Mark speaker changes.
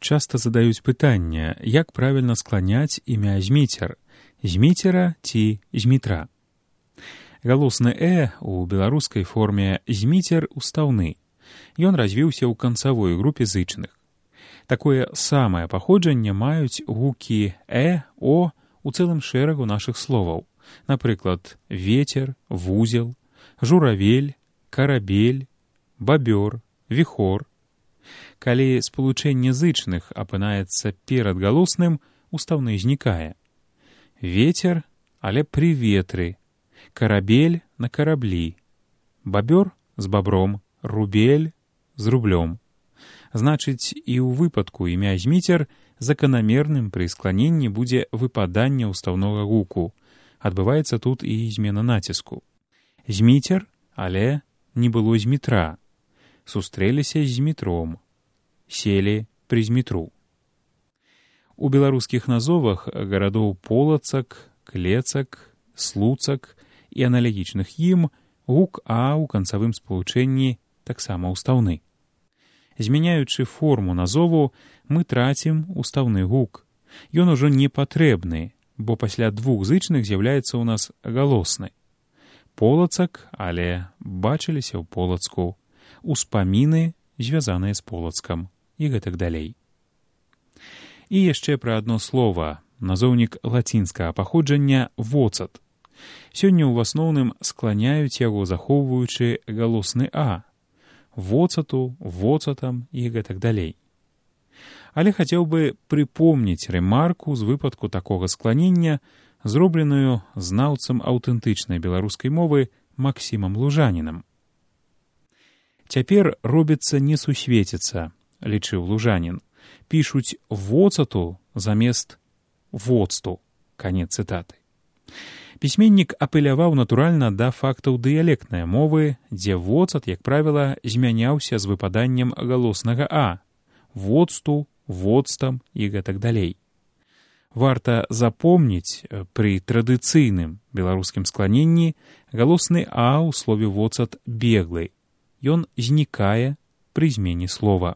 Speaker 1: часта задаюць пытанне, як правільна скланяць імя Зміцер, Зміцера ці Змітра. Галосны «э» у беларускай форме «зміцер» устаўны. Ён развіўся ў канцавой групе зычных. Такое самае паходжанне маюць гукі «э», «о» у цэлым шэрагу нашых словаў. Напрыклад, ветер, вузел, журавель, карабель, бабёр, віхор. Калі спалучэнне зычных апынаецца перад галосным, устаўны знікае. Ветер, але пры ветры, карабель на караблі, бабёр з бабром, рубель з рублём. Значыць, і ў выпадку імя Зміцер заканамерным пры скланенні будзе выпаданне ўстаўнога гуку. Адбываецца тут і змена націску. Зміцер, але не было Змітра. Сустрэліся з Змітром. Селі пры Змітру. У беларускіх назовах гарадоў Полацак, Клецак, Слуцак і аналагічных ім гук «а» ў канцавым спалучэнні таксама ўстаўны. Змяняючы форму назову, мы трацім устаўны гук. Ён ужо не патрэбны, бо пасля двух зычных з'яўляецца ў нас галосны. Полацак, але бачыліся ў Полацку. Успаміны, звязаныя з Полацкам. І гэтак далей. І яшчэ пра адно слова, назоўнік лацінскага паходжання «воцат». Сёння ў асноўным скланяюць яго, захоўваючы галосны «а». Воцату, воцатам і гэтак далей. Але хацеў бы прыпомніць рэмарку з выпадку такога скланення, зробленую знаўцам аўтэнтычнай беларускай мовы Максімам Лужанінам. Цяпер робіцца несусветіца, лічыў Лужанін. Пішуць воцату замест воцту. Канец цытаты. Пісьменнік апеляваў, натуральна, да фактаў дыялектнай мовы, дзе воцат, як правіла, змяняўся з выпаданнем галоснага «а», воцту, воцтам і гэтак далей. Варта запомніць, пры традыцыйным беларускім скланенні галосны «а» ў слове «воцат» беглы. Ён знікае пры змене слова.